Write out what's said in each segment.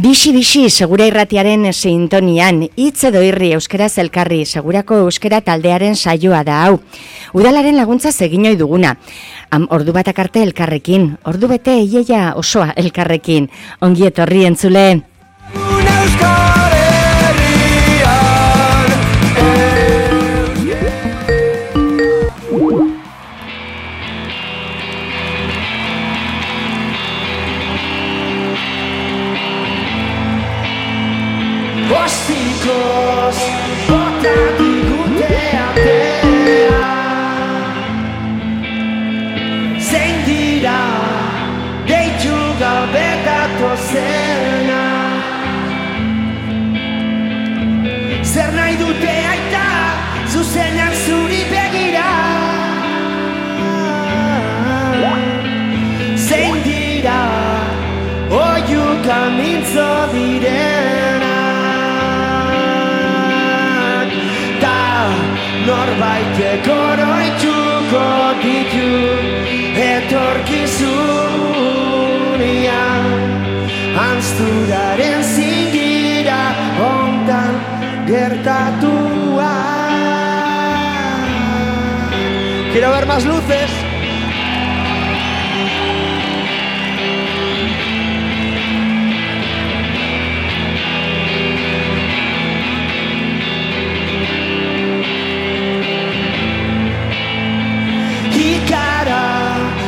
Bixi segura irratiaren sintonian, hitz edo irri euskaraz elkarri, segurako euskara taldearen saioa da hau. Udalaren laguntza egin ohi duguna. Ordu batak arte elkarrekin, ordu bete iaia osoa elkarrekin. Ongi etorri entzule. Ostikoz, bota digute atea. Zein dira, deitu gabe datozena. Zer nahi dute aita, zuzenak zuri begira. Zein dira, oiuk amintzo direna. Norbaitek oroituko ditu etorkizunean, anzturaren zingira hontan gertatua. Quiero ver más luces.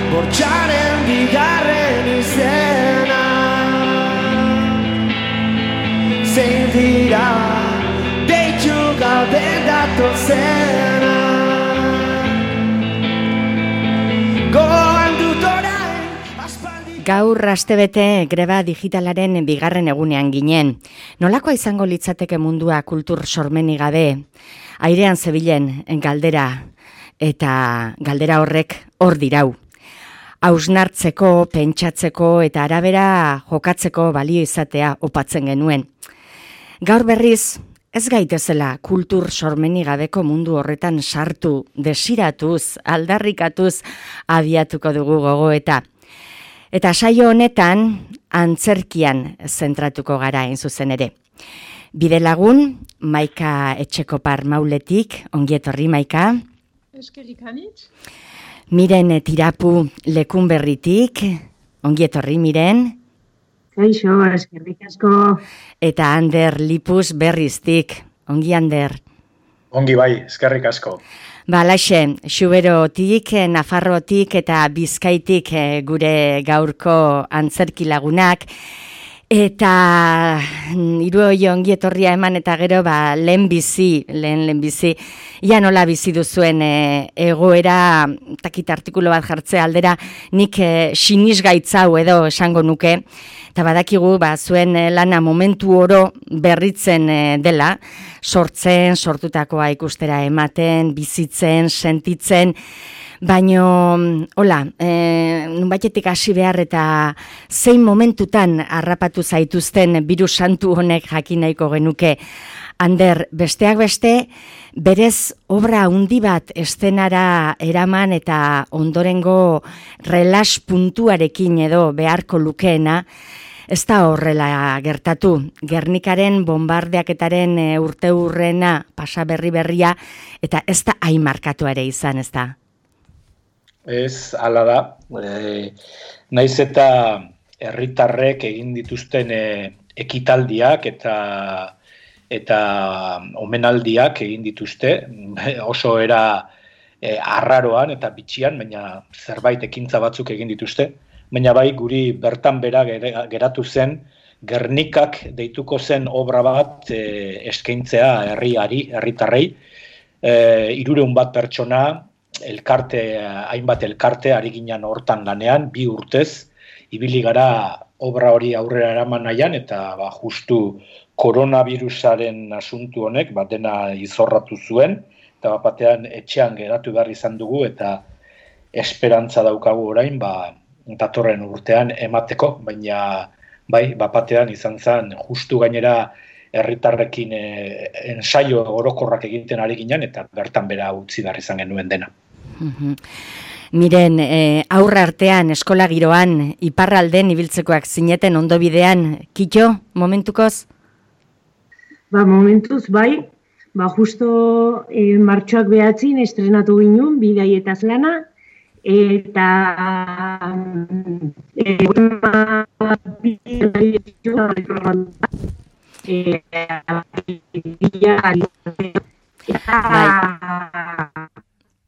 Bortxaren bigarren izena. Zein dira, deitu gabe datozena. Goan dut orain aspaldi. Gaur astebete greba digitalaren bigarren egunean ginen. Nolakoa izango litzateke mundua kultur sormenik gabe? Airean zebilen galdera, eta galdera horrek hor dirau. Hausnartzeko, pentsatzeko eta arabera jokatzeko balio izatea opatzen genuen. Gaur berriz, ez gaitezela kultur sormenik gabeko mundu horretan sartu, desiratuz, aldarrikatuz abiatuko dugu gogoeta. Eta saio honetan, antzerkian zentratuko gara hain zuzen ere. Bidelagun, Maika Etxekopar Mauletik, ongi etorri Maika. Eskerrik anitz. Miren Tirapu Lekunberritik, ongi etorri Miren. Kaixo, eskerrik asko. Eta Ander Lipus Berriztik, ongi Ander. Ongi bai, eskerrik asko. Balaxe, Xuberotik, Nafarrotik eta Bizkaitik gure gaurko antzerki lagunak. Eta hiruoi ongi etorria eman eta gero lehen bizi, ia nola bizi duzuen egoera, takit artikulu bat jartzea aldera, nik sinisgaitzau edo esango nuke, eta badakigu zuen lana momentu oro berritzen dela, sortutakoa ikustera ematen, bizitzen, sentitzen, baino, nunbaitetik hasi behar eta zein momentutan harrapatu zaituzten birus santu honek jakin nahiko genuke. Ander, besteak beste, berez obra handi bat eszenara eraman eta ondorengo relax puntuarekin edo beharko lukeena, ez da horrela gertatu. Gernikaren bombardeaketaren urteurrena pasa berria eta ez da hain markatu ere izan, ez da? Ez, hala da. Naiz eta herritarrek egin dituzten ekitaldiak eta omenaldiak egin dituzte, oso era arraroan eta bitxian, baina zerbait ekintza batzuk egin dituzte, baina bai guri bertan bera geratu zen Gernikak deituko zen obra bat eskaintzea herritarrei, 300 bat pertsona, hainbat elkarte ari ginen hortan lanean, 2 urtez, ibili gara obra hori aurrera eraman nahian, eta justu koronavirusaren asuntu honek dena izorratu zuen, eta batean etxean geratu behar izan dugu, eta esperantza daukagu orain, datorren urtean emateko, baina bai, batean izan zen, justu gainera herritarrekin ensaio orokorrak egiten ari ginen, eta bertan bera utzi behar izan genuen dena. Miren, aurra artean, eskola giroan, iparralden ibiltzekoak zineten ondo bidean, kito, momentukoz? Momentuz, bai, justo martxoak behatzin estrenatu ginen, bidaietaz lana, eta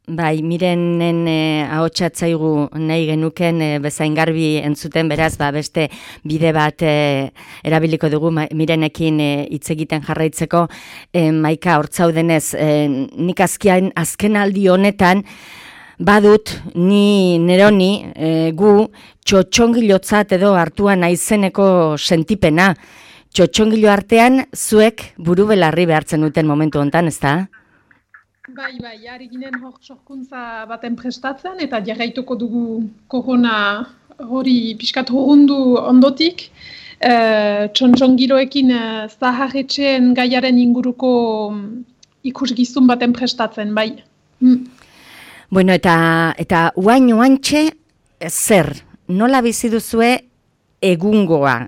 Bai, Mirenen ahotsatzaigu nahi genuken bezain garbi entzuten, beraz, beste bide bat erabiliko dugu Mirenekin hitz egiten jarraitzeko. Maika, hortzaudenez, nik azken aldi honetan, badut, neroni gu txotxongilotzat edo hartuan naizeneko sentipena. Txotxongilo artean, zuek buru belarri behartzen duten momentu hontan, ez da? Bai, ari ginen sorkuntza baten prestatzen, eta jarraituko dugu korona hori pixkat horundu ondotik. Txontxongiloekin zaharretxeen gaiaren inguruko ikusgizun baten prestatzen, bai. Bueno, eta oantxe zer, nola bizi duzue egungoa,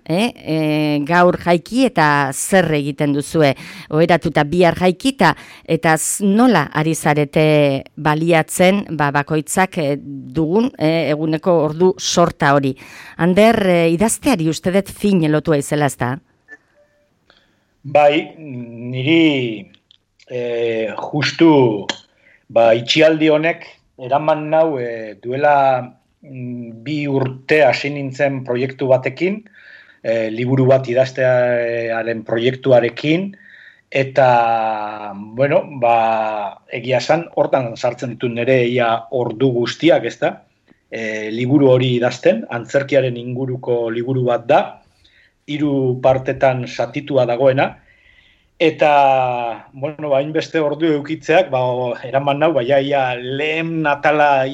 gaur jaiki eta zer egiten duzue, oheratuta bihar jaikita, eta nola ari zarete baliatzen bakoitzak dugun eguneko ordu sorta hori. Ander, idazteari ustedet fin lotua izela, ez da? Bai, niri justu itxialdi honek eraman nau duela 2 urte hasi nintzen proiektu batekin, liburu bat idaztearen proiektuarekin, eta, bueno, egia esan, hortan sartzen ditut nire ordu guztiak, ez da, liburu hori idazten, antzerkiaren inguruko liburu bat da, 3 partetan satitua dagoena, eta, bueno, hainbeste ordu eukitzeak, eraman nau, lehen atala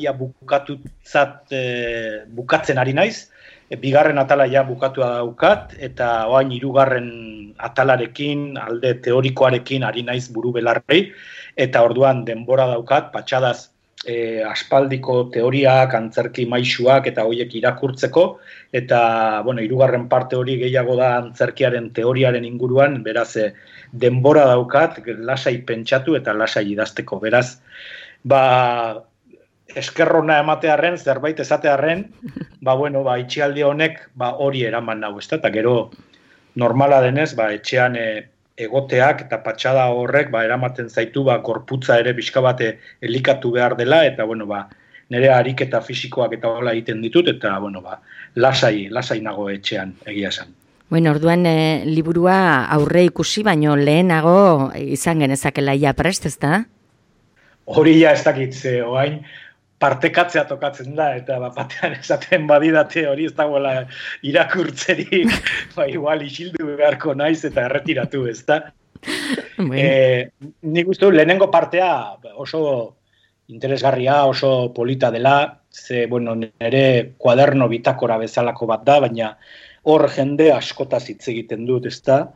bukatzen ari naiz, 2. atala bukatua daukat, eta oain 3. atalarekin, alde teorikoarekin ari naiz buru belarrei, eta orduan denbora daukat, patxadaz aspaldiko teoriak, antzerki maisuak, eta horiek irakurtzeko, eta, bueno, 3. parte hori gehiago da antzerkiaren teoriaren inguruan, beraz, denbora daukat, lasai pentsatu eta lasai idazteko. Beraz, eskerrona ematearren, zerbait esatearren, itxialdi honek hori eraman nau, ez da? Eta gero, normala denez, etxean egoteak eta patxada horrek eramaten zaitu gorputza ere pixka bat elikatu behar dela, eta, nire ariketa fisikoak eta hola egiten ditut, eta, lasai nago etxean, egia esan. Bueno, orduan liburua aurre ikusi, baino lehenago izan genezakela prest, ez da? Hori ez dakit, oain partekatzea tokatzen da, eta batean esaten badidate hori ez dagoela irakurtzerik, igual isildu beharko naiz eta erretiratu, ez da? Nik uste lehenengo partea oso interesgarria, oso polita dela, nire kuaderno bitakora bezalako bat da, baina hor jende askotaz hitz egiten dut, ez da?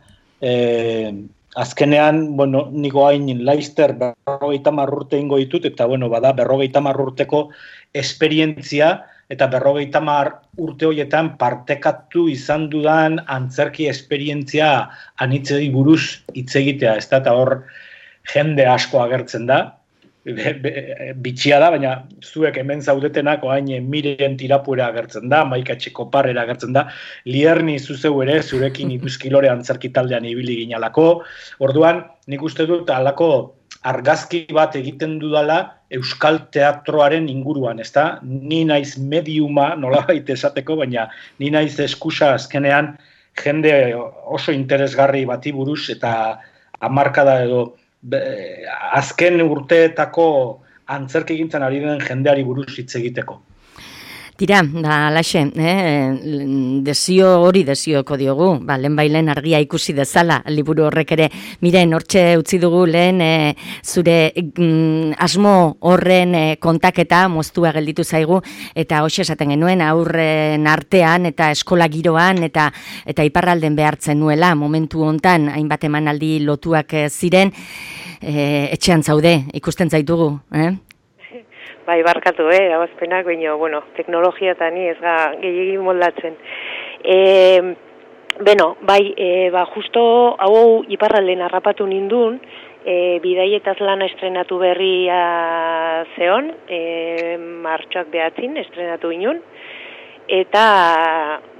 Azkenean, niko hain Laster 50 urte ingo ditut, eta, bada 50 urteko esperientzia, eta 50 urte horietan partekatu izan dudan antzerki esperientzia anitzei buruz hitz egitea, ez da? Eta hor jende asko agertzen da, bitxia da, baina zuek hemen zaudetenak oain Miren Tirapuera agertzen da, Maika Etxekoparrera agertzen da, Lierni zuzeu ere zurekin Ipuzkilore antzerki taldean ibili ginalako. Orduan, nik uste dut halako argazki bat egiten dudala euskal teatroaren inguruan, ez da? Ni naiz mediuma, nolabait esateko, baina ni naiz eskusa azkenean jende oso interesgarri bati buruz eta hamarkada edo azken urteetako antzerkigintzan ari den jendeari buruz hitz egiteko. Tira, alaxe, desioko diogu, lehenbailen argia ikusi dezala, liburu horrek ere, Miren, hortxe utzi dugu lehen, zure asmo horren kontaketa, moztua gelditu zaigu, eta hoxe esaten genuen, aurren artean, eta eskola giroan, eta iparralden behartzen nuela, momentu hontan, hainbat emanaldi lotuak ziren, etxean zaude, ikusten zaitugu, bai barkatu, erabazpenak, baina, bueno, teknologia eta ni ez ga gehiegi moldatzen. Beno, bai, justo hau iparralden harrapatu nindun, Bidaietaz lana estrenatu berria zeon, martxoak 9 estrenatu inun, eta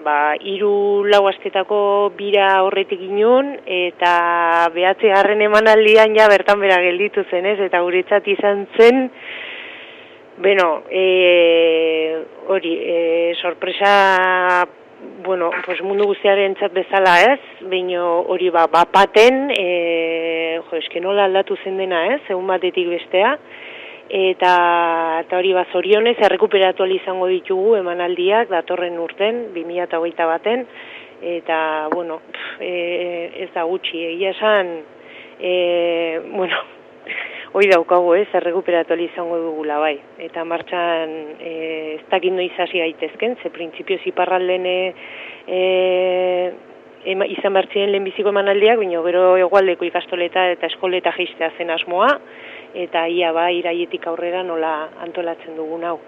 3-4 astetako bira horretik inun, eta 9. emanaldian ja bertan bera gelditu zenez, eta guretzat izan zen, beno, hori, sorpresa, bueno, pues mundu guztiaren txat bezala ez, baina hori bapaten, eske nola aldatu zen dena ez, egun batetik bestea, eta hori zorionez, errekuperatu izango ditugu emanaldiak, datorren urten, 2021, eta, bueno, ez da gutxi, egia esan, bueno, hoi daukagu errekuperatu izango dugula bai, eta martxan ez dakit noiz hasi gaitezken, ze printzipioz iparralden izan bertzien lehenbiziko emanaldiak, baina gero hegoaldeko ikastoleta eta eskoleta jeistea zen asmoa, eta ia iraietik aurrera nola antolatzen dugun hau.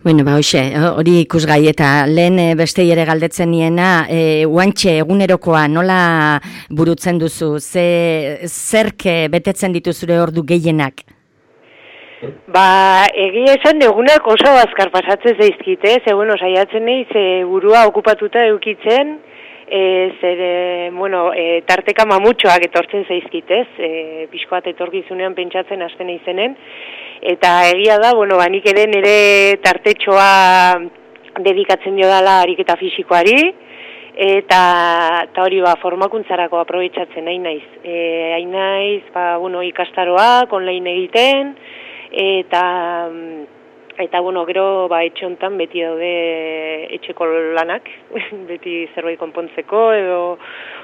Bueno, hoxe, hori ikusgai eta lehen bestei ere galdetzen niena, guantxe egunerokoa nola burutzen duzu, zerk betetzen dituzure ordu gehienak? Egia esan egunak oso azkar pasatzen zaizkite, bueno, saiatzen naiz burua okupatuta eukitzen, tarteka mamutxoak etortzen zaizkitez, pixkoat etorkizunean pentsatzen hasten izenen, eta egia da, nik ere nire tartetxoa dedikatzen dio dela ariketa fisikoari, eta hori formakuntzarako aprobetxatzen nahi naiz. Hain naiz, ikastaroak, online egiten, eta gero etxe hontan beti daude etxeko lanak, beti zerbait konpontzeko, edo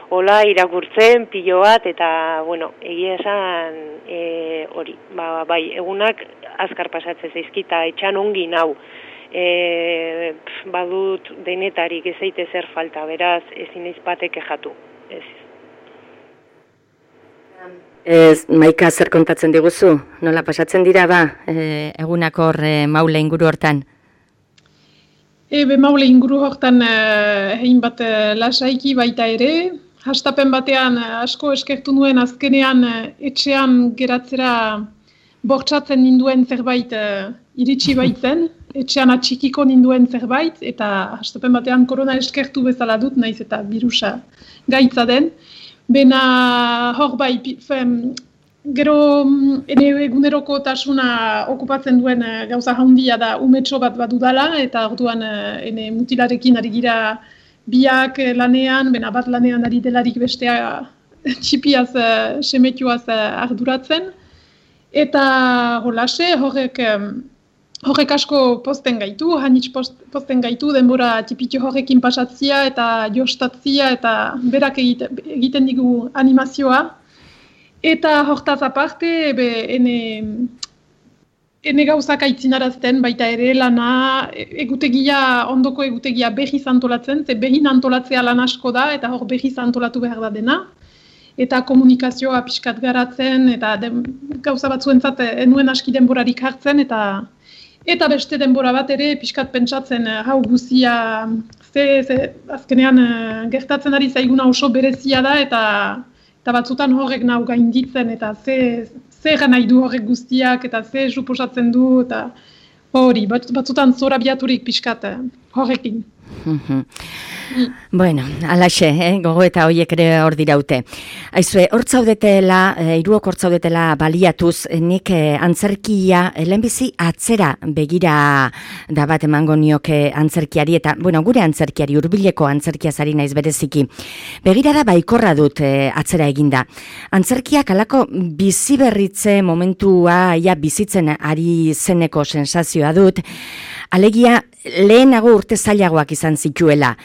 hola irakurtzen, pilo bat, eta egia esan hori, bai, egunak azkar pasatzen zaizkita, etxan ongi nau. Badut denetarik ez zaite zer falta, beraz ezin naiz batek kexatu. Maika, zer kontatzen diguzu? Nola pasatzen dira egunak hor Maule inguru hortan? Maule inguru hortan egin bat lasaiki baita ere. Hastapen batean asko eskertu nuen azkenean etxean geratzera bortxatzen ninduen zerbait iritsi baitzen. Etxean atxikiko ninduen zerbait, eta hastapen batean korona eskertu bezala dut, naiz eta virusa gaitza den. Bena hor bai, gero eguneroko tasuna okupatzen duen gauza handia da umetxo bat badudala, eta orduan mutilarekin ari gira biak lanean, bena bat lanean ari delarik bestea txipiaz, semetioaz arduratzen. Eta holase, horrek asko posten gaitu, hanitz posten gaitu, denbora tipitio horrekin pasatzia eta jostatzia eta berak egiten digu animazioa. Eta hortaz aparte, ene gauzak aitzinarazten baita ere lana ondoko egutegia behiz antolatzen, ze behin antolatzea lan asko da eta hor behiz antolatu behar da dena. Eta komunikazioa pixkat garatzen, eta gauza batzuentzat enuen aski denborarik hartzen, eta beste denbora bat ere pixkat pentsatzen hau guzia azkenean gertatzen ari zaiguna oso berezia da, eta batzutan horrek nahu gainditzen, eta zer nahi du horrek guztiak, eta zer suposatzen du, eta hori, batzutan zorabiaturik pixkat horrekin. Bueno, alaxe, gogo eta horiek ere hor diraute. Aizue, hor zaudetela, hiruok hor zaudetela baliatuz, nik antzerkia, lehenbizi atzera begira da bat emango nioke antzerkiari, eta, gure antzerkiari, hurbileko antzerkiaz ari naiz bereziki. Begira da baikorra dut atzera eginda. Antzerkiak alako biziberritze momentua bizitzen ari zeneko sensazioa dut, alegia lehenago urte zailagoak izan zituela.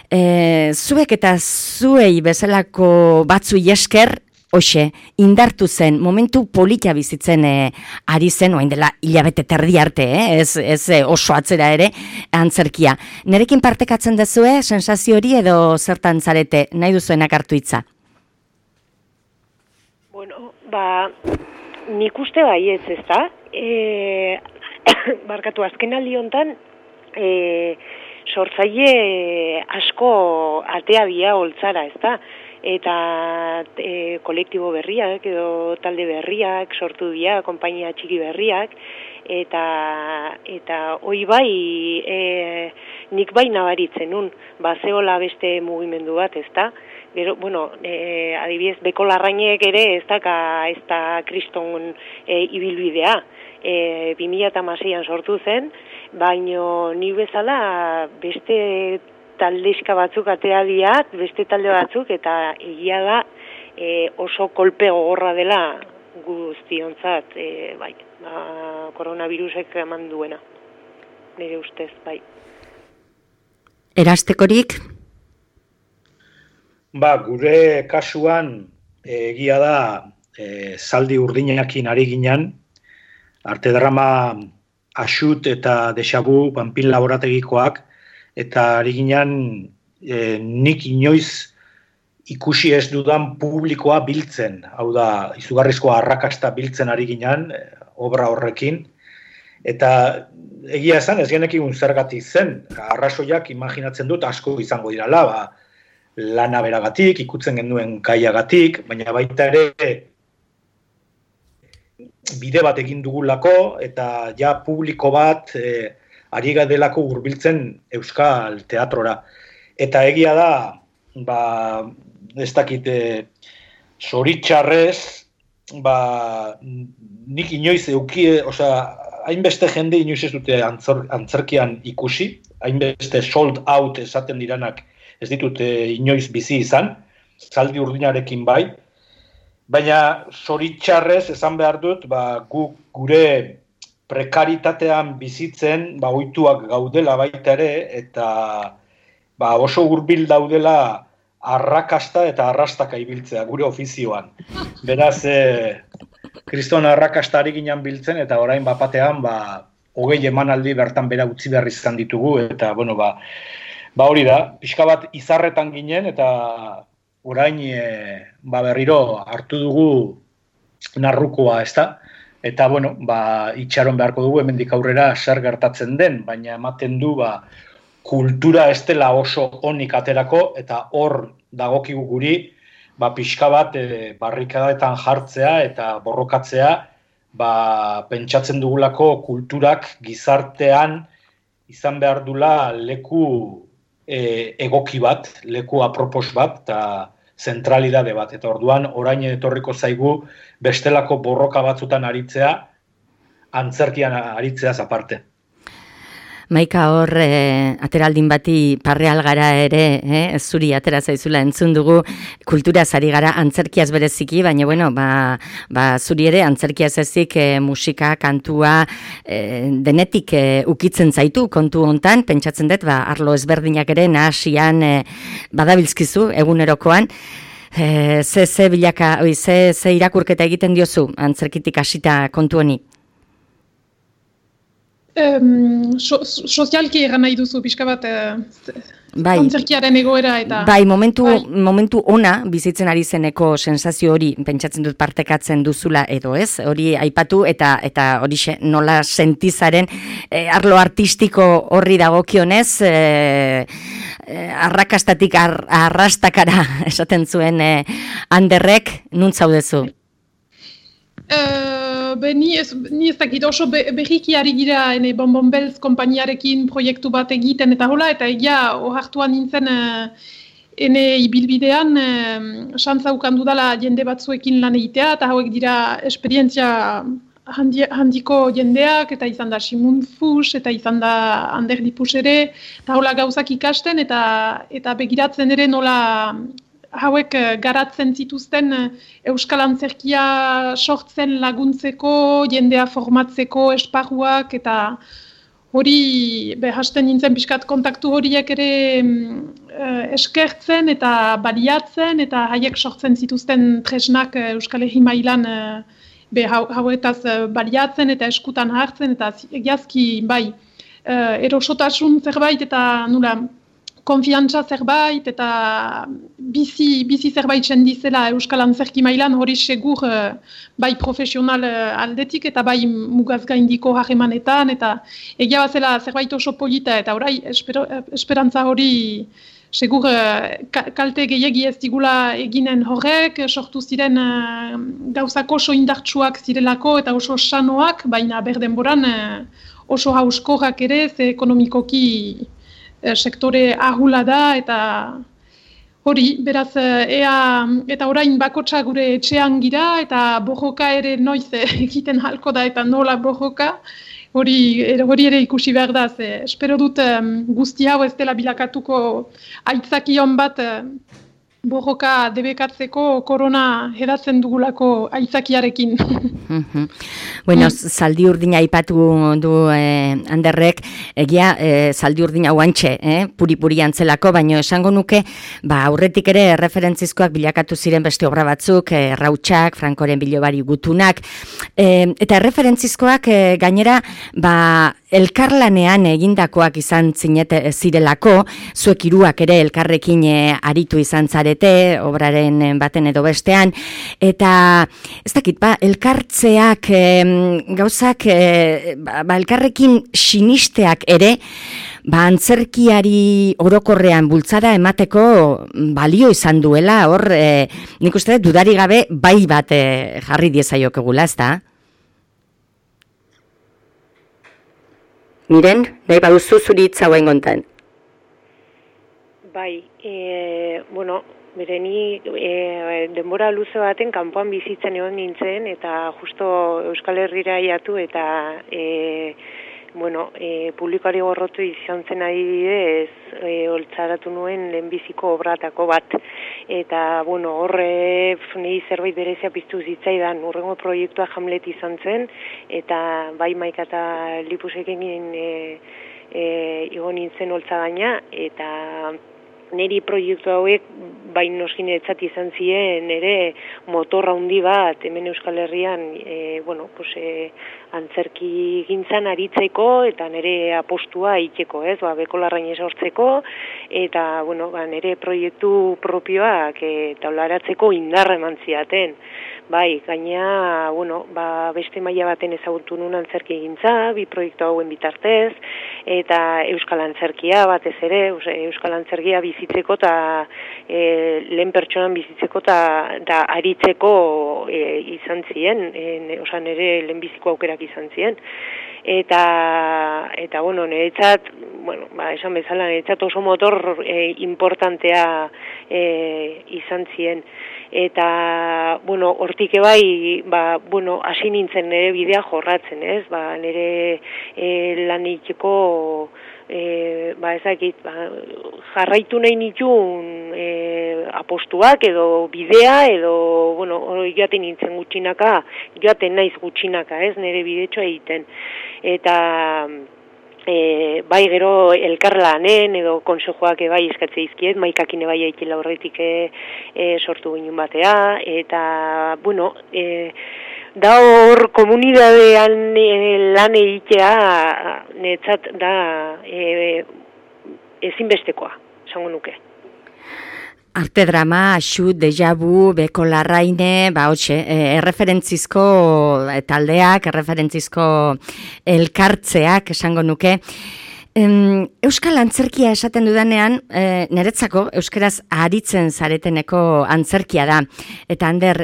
Zuek eta zuei bezalako batzu esker, hoxe, indartu zen, momentu polita bizitzen ari zen, oain dela hilabete terdi arte, ez oso atzera ere, antzerkia. Nerekin partekatzen dezue, sensazio hori edo zertan zarete, nahi duzuenak hartu hitza? Nik uste baietz, ez da? barkatu, azkenaldi hontan, sortzaile asko atea dia holtzara, ezta? Eta kolektibo berriak edo talde berriak sortu dira, konpainia txiki berriak, eta hoi bai, nik bai nabaritzen nun, zehola beste mugimendu bat, ezta? Gero, bueno, adibidez, Beko Larrainek ere ez da kriston ibilbidea. 2006an sortu zen, baino ni bezala beste taldeska batzuk atea diat, beste talde batzuk, eta egia da oso kolpe gogorra dela guztiontzat, bai, koronavirusek eman duena, nire ustez, bai. Erastekorik? Gure kasuan egia da zaldi urdinakin ari ginen, arte drama Axut eta Dejavu Panpin laborategikoak, eta ari ginen nik inoiz ikusi ez dudan publikoa biltzen, hau da, izugarrizko arrakasta biltzen ari ginen, obra horrekin, eta egia esan ez genekin zergatik zen, arrazoiak imaginatzen dut asko izango dirala, lana beragatik, ikutzen genuen kaiagatik, baina baita ere bide bat egin dugulako, eta ja publiko bat ari delako hurbiltzen euskal teatrora. Eta egia da, ez dakit, zoritxarrez, nik inoiz hainbeste jende inoiz ez dute antzerkian ikusi, hainbeste sold out esaten diranak ez ditut inoiz bizi izan, zaldi urdinarekin bai, baina zoritxarrez esan behar dut, gure prekaritatean bizitzen ohituak gaudela baita ere, eta oso hurbil daudela arrakasta eta arrastaka ibiltzea gure ofizioan. Beraz, kriston arrakasta ari ginen biltzen, eta orain bapatean 20 emanaldi bertan bera utzi behar izan ditugu, eta hori da, pixka bat izarretan ginen, eta orain berriro hartu dugu narrukoa, ezta? Eta, itxaron beharko dugu, hemendik aurrera zer gertatzen den, baina ematen du, kultura ez dela oso onik aterako, eta hor dagokigu guri, pixka bat barrikadetan jartzea eta borrokatzea, pentsatzen dugulako kulturak gizartean izan behar dula leku egoki bat, leku apropos bat, eta zentralidade bat. Eta orduan, orain etorriko zaigu bestelako borroka batzutan aritzea, antzerkian aritzeaz aparte. Maika hor, ateraldin bati parreal gara ere, zuri atera zaizula entzun dugu, kulturaz ari gara antzerkiaz bereziki, baina, zuri ere antzerkiaz ezik musika, kantua, denetik ukitzen zaitu kontu hontan, pentsatzen dut, arlo ezberdinak ere nahasian badabilzkizu egunerokoan, ze irakurketa egiten diozu antzerkitik hasita kontu honi? Sozialki egan nahi duzu, pixka bat antzerkiaren egoera eta... Momentu ona bizitzen ari zeneko sensazio hori, pentsatzen dut partekatzen duzula edo ez, hori aipatu eta hori nola sentizaren arlo artistiko horri dagokionez, arrakastatik arrastakara esaten zuen Anderrek, nun zaudezu? Ni ez dakit oso berriki ari gira Bonbon Belz konpainiarekin proiektu bat egiten eta hola, eta egia ohartuan nintzen ene ibilbidean xantza ukan dudala jende batzuekin lan egitea, eta hauek dira esperientzia handiko jendeak, eta izan da Simun Fus, eta izan da Ander Dipus ere, eta hola gauzak ikasten, eta begiratzen ere nola hauek garatzen zituzten euskal antzerkia sortzen laguntzeko, jendea formatzeko esparruak, eta hori hasten nintzen pixkat kontaktu horiek ere eskertzen eta baliatzen, eta haiek sortzen zituzten tresnak Euskal Herri mailan hauetaz baliatzen eta eskutan hartzen, eta egiazki erosotasun zerbait eta nula konfiantza zerbait eta bizi zerbait sendizela Euskal Antzerki mailan hori segur bai profesional aldetik eta bai mugaz gaindiko harremanetan eta egia bazela zerbait oso polita eta orai esperantza hori segur kalte gehiegi ez digula eginen horrek, sortu ziren gauzak oso indartsuak zirelako eta oso sanoak, baina berdenboran oso hauskorrak ere, ze ekonomikoki sektore ahula da eta hori, beraz, eta orain bakotsa gure etxean gira eta borroka ere noiz egiten halko da eta nola borroka, hori ere ikusi behar da, ze espero dut guzti hau ez dela bilakatuko aitzakion bat borroka debekatzeko korona hedatzen dugulako aitzakiarekin. Bueno, zaldi urdina aipatu du Anderrek, egia zaldi urdina guantxe, puri-puri antzelako, baino esango nuke, aurretik ere referentzizkoak bilakatu ziren beste obra batzuk, Rautsak, Frankoren bilobari gutunak, eta referentzizkoak gainera, elkarlanean egindakoak izan zirelako, zuek hiruak ere elkarrekin aritu izan zarete, obraren baten edo bestean, eta ez dakit, elkartzeak gauzak, elkarrekin sinisteak ere, antzerkiari orokorrean bultzada emateko balio izan duela, hor, nik uste dudari gabe bai bat jarri diezaiokegula, ez da? Miren, nahi baduzu zuri hitza guain gontan. Bai, bereni denbora luze baten kanpoan bizitzen egon nintzen eta justo Euskal Herrira iatu eta publikoari gorrotu izan zen adibidez, holtzaratu nuen lehenbiziko obratako bat. Eta, horre nahi zerbait berezia piztu zitzaidan, urrengo proiektua Hamlet izan zen, eta bai Maika eta Lipusekin igo nintzen holtza gaina, eta niri proiektu hauek bai noskinetzat izan ziren ere motorra handi bat hemen Euskal Herrian antzerki gintzan aritzeko eta nire apostua egiteko, bekolarrain sortzeko eta nire proiektu propioak taularatzeko indarra eman zidaten. Bai, gaina, beste maila baten ezagutu nuen antzerki gintza, bi proiektu hauen bitartez, eta Euskal Antzerkia batez ere, Euskal Antzerkia bizitzeko eta lehen pertsonan bizitzeko eta aritzeko izan ziren, nire lehenbiziko aukerak izan ziren. Eta niretzat, esan bezala, niretzat oso motor importantea izan ziren. Eta, hortik ebai, hasi nintzen nire bidea jorratzen, ez? Nire lan egiteko, jarraitu nahi nituen apostuak edo bidea edo, joaten nintzen gutxinaka, joaten naiz gutxinaka, ez? Nire bidetxoa egiten. Eta bai gero elkarlanen edo konsejoak bai eskatze dizkiet, Maikakin bai aikila horretik sortu ginen batea, eta, da hor komunidadean lan egitea netzat da ezinbestekoa, esango nuke. Arte drama, Axu, Deja Vu, Beko Larraine, erreferentzizko taldeak, erreferentzizko elkartzeak, esango nuke. Euskal Antzerkia esaten dudanean, niretzako euskaraz aritzen zareteneko antzerkia da. Eta Ander,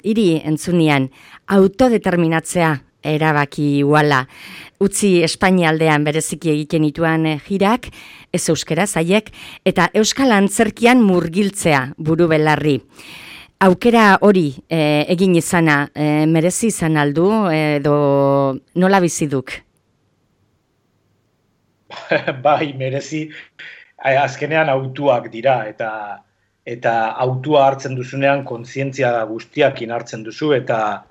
hiri entzunian, autodeterminatzea erabaki uala. Utzi Espainialdean bereziki egiten ituan jirak, ez euskaraz haiek, eta Euskal Antzerkian murgiltzea buru belarri. Aukera hori egin izana, merezi izan aldu, edo nola biziduk? Bai, merezi, azkenean autuak dira, eta autua hartzen duzunean kontzientzia guztiakin hartzen duzu, eta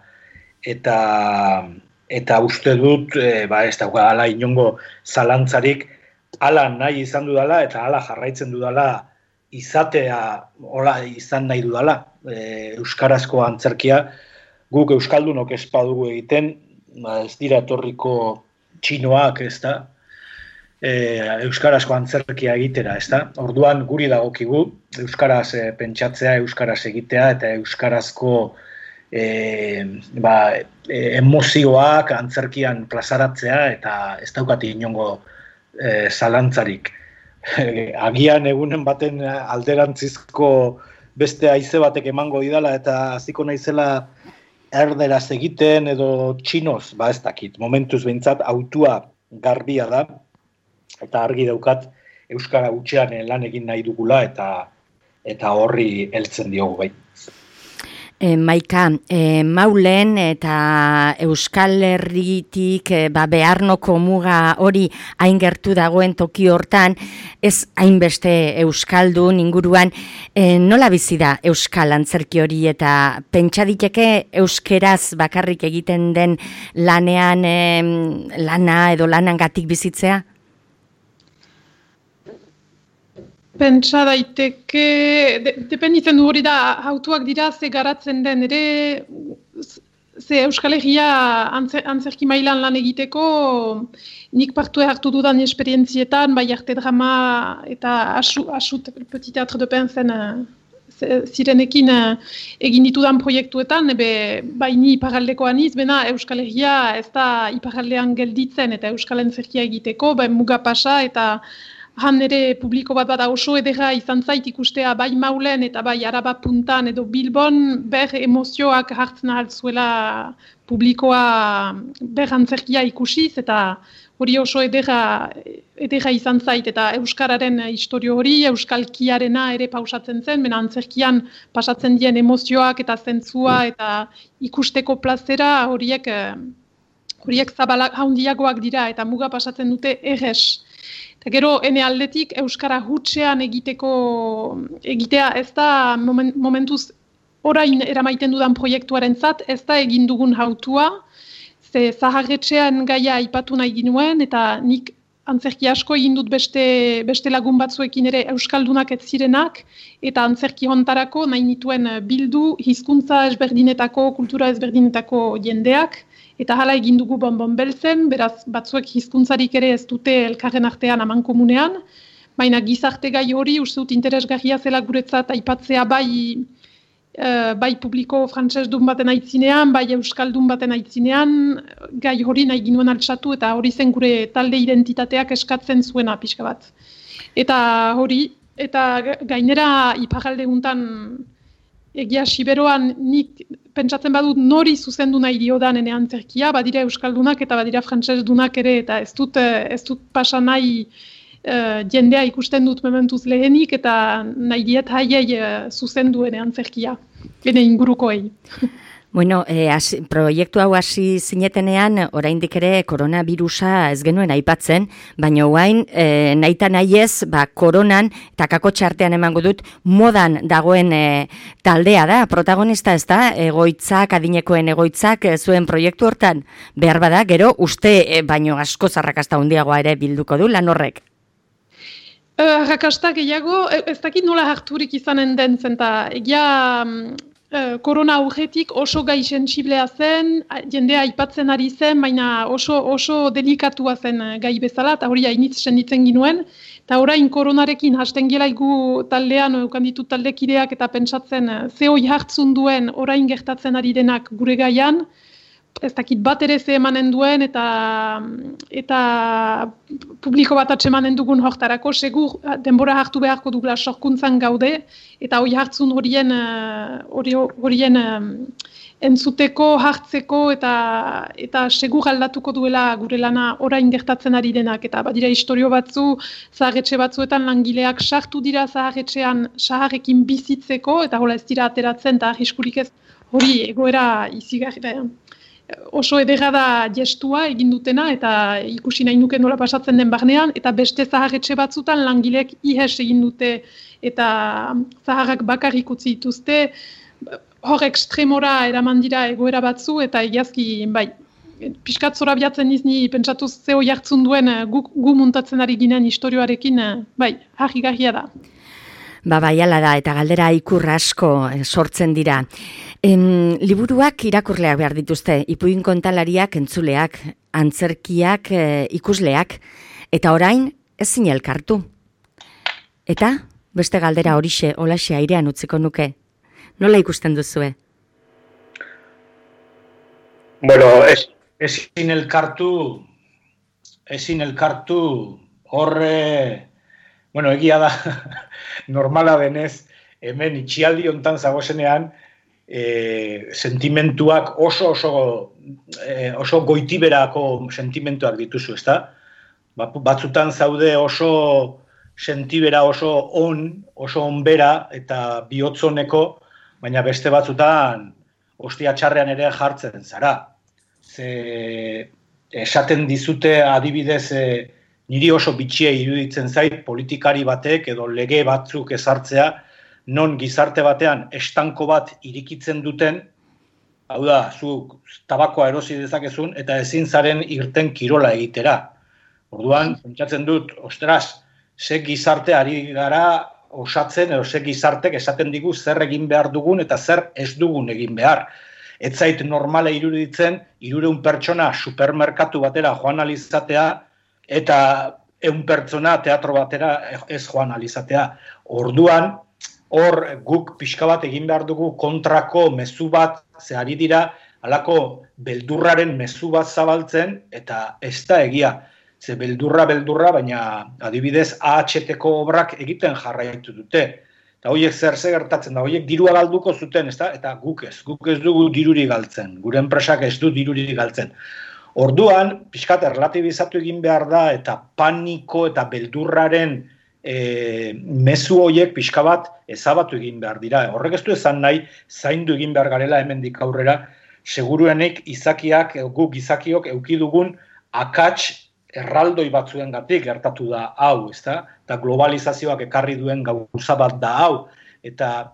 uste dut, ez dauka, ala inongo zalantzarik, ala nahi izan dudala, eta ala jarraitzen dudala izatea, hola izan nahi dudala, euskarazko antzerkia, guk euskaldunok ez badugu egiten, ez dira etorriko txinoak, ez da, euskarazko antzerkia egitera, ezta? Orduan guri dagokigu euskaraz pentsatzea, euskaraz egitea eta euskarazko emozioak antzerkian plazaratzea eta ez daukati inongo zalantzarik. Agian egunen baten alderantzizko beste haize batek emango didala eta hasiko naizela erderaz egiten edo txinoz, ez dakit. Momentuz behintzat autua garbia da eta argi daukat euskara hutsean lan egin nahi dugula eta horri heltzen diogu bai. Maika, Maulen eta Euskal Herritik Beharnoko muga hori hain gertu dagoen toki hortan, ez hainbeste euskaldun inguruan, nola bizi da euskal antzerki hori eta pentsa diteke euskeraz bakarrik egiten den lanean lana edo lanangatik bizitzea? Pentsa daiteke, dependitzen du hori da, hautuak dira ze garatzen den, ere ze Euskal Herria antzerki mailan lan egiteko, nik parte hartu dudan esperientzietan, bai arte drama eta asut Petit Théâtre de Penzen zirenekin egin ditudan proiektuetan, bai ni iparraldekoan iz, bena Euskal Herria ez da iparraldean gelditzen eta Euskal antzerkia egiteko, bai muga pasa eta han ere publiko bat bada oso edera izan zait ikustea bai Maulen eta bai Araba Puntan edo Bilbon ber emozioak hartzen ahaltzuela publikoa ber antzerkia ikusiz eta hori oso edera izan zait eta euskararen historio hori, euskalkiarena ere pausatzen zen, bena antzerkian pasatzen dien emozioak eta zentzua eta ikusteko plazera horiek zabalak handiagoak dira eta muga pasatzen dute errez. Eta gero, ene aldetik, euskara hutsean egitea ez da momentuz orain eramaiten dudan proiektuaren zat, ez da egin dugun hautua, ze zaharretxean gaia aipatu nahi ginuen, eta nik antzerki asko egin dut beste lagun batzuekin ere euskaldunak ez zirenak, eta antzerki hontarako nahi nituen bildu hizkuntza ezberdinetako, kultura ezberdinetako jendeak, eta hala egin dugu Bonbon Beltzen, beraz batzuek hizkuntzarik ere ez dute elkarren artean amankomunean, baina gizarte gai hori uste dut interesgarria zela guretzat aipatzea bai publiko frantsesdun baten aitzinean, bai euskaldun baten aitzinean, gai hori nahi ginuen altxatu eta hori zen gure talde identitateak eskatzen zuena pixka bat. Eta hori, eta gainera iparralde guntan egia siberoan nik pentsatzen badut nori zuzendu nahi diodan ene antzerkia, badira euskaldunak eta badira frantsesdunak ere, eta ez dut pasa nahi jendea ikusten dut mementuz lehenik, eta nahi diet haiei zuzendu ene antzerkia, ene ingurukoei. Bueno, proiektu hau hasi zinetenean, oraindik ere koronavirusa ez genuen aipatzen, baina orain nahita nahiez, koronan eta kakotxartean emango dut modan dagoen taldea da, protagonista ez da, egoitzak, adinekoen egoitzak zuen proiektu hortan, behar bada, gero uste baino asko zarrakasta handiagoa ere bilduko du lan horrek. Arrakasta gehiago, ez dakit nola harturik izanen den zen, eta egia korona aurretik oso gai sentsiblea zen, jendea aipatzen ari zen, baina oso delikatua zen gai bezala, eta hori hainitz senditzen ginuen, eta orain koronarekin hasten gelaigu taldean, eukan ditut taldekideak eta pentsatzen ze hoi hartzun duen orain gertatzen ari denak gure gaian, ez dakit bat ere ze emanen duen eta publiko bat atsemanen dugun hortarako, segur denbora hartu beharko dugula sorkuntzan gaude, eta hoi hartzun horien entzuteko, hartzeko eta segur aldatuko duela gure lana orain gertatzen ari denak. Eta badira historio batzu, zaharretxe batzuetan langileak sartu dira zaharretxean saharrekin bizitzeko, eta hola ez dira ateratzen eta arriskurik ez hori egoera izigarria. Oso edera da gestua egin dutena eta ikusi nahi nuke nola pasatzen den barnean, eta beste zaharretxe batzutan langileek ihes egin dute eta zaharrak bakarrik utzi dituzte, hor ekstremora eraman dira egoera batzu eta egiazki, pixkat zorabiatzen izni pentsatuz zeo jartzun duen gu muntatzen ari ginen historioarekin, harrigarria da. Bai, ala da, eta galdera ikur asko sortzen dira. Liburuak irakurleak behar dituzte, ipuin kontalariak entzuleak, antzerkiak ikusleak. Eta orain, ezin elkartu. Eta, beste galdera holaxe airean utziko nuke. Nola ikusten duzue? Bueno, ezin elkartu horre, bueno, egia da, normala denez, hemen itxialdi hontan zagozenean, sentimentuak oso goitiberako sentimentuak dituzu, ezta? Batzutan zaude oso sentibera oso onbera eta bihotzoneko, baina beste batzutan ostia txarrean ere jartzen zara. Esaten dizute adibidez niri oso bitxia iruditzen zait politikari batek edo lege batzuk ezartzea, non gizarte batean estanko bat irikitzen duten, hau da, zuk tabakoa erosi dezakezun eta ezin zaren irten kirola egitera. Orduan, pentsatzen dut, ostras, ze gizarte ari gara osatzen, edo ze gizartek esaten digu zer egin behar dugun eta zer ez dugun egin behar. Ez zait normala iruditzen, 300 pertsona supermerkatu batera joan alizatea, eta 100 pertsona teatro batera ez joan alizatea. Orduan, hor guk pixka bat egin behar dugu kontrako mezu bat, ze ari dira, halako beldurraren mezu bat zabaltzen, eta ez da egia. Ze beldurra, baina adibidez AHT-ko obrak egiten jarraitu dute. Eta horiek zer gertatzen da, horiek dirua galduko zuten, ezta? Eta guk ez dugu diruri galtzen, gure enpresak ez du diruri galtzen. Orduan, pixkat erlatibizatu egin behar da, eta paniko eta beldurraren mezu horiek pixka bat ezabatu egin behar dira. Horrek ez du esan nahi, zaindu egin behar garela hemendik aurrera, seguruenik guk izakiok eukidugun akats erraldoi batzuengatik gertatu da hau, ezta? Eta globalizazioak ekarri duen gauza bat da hau, eta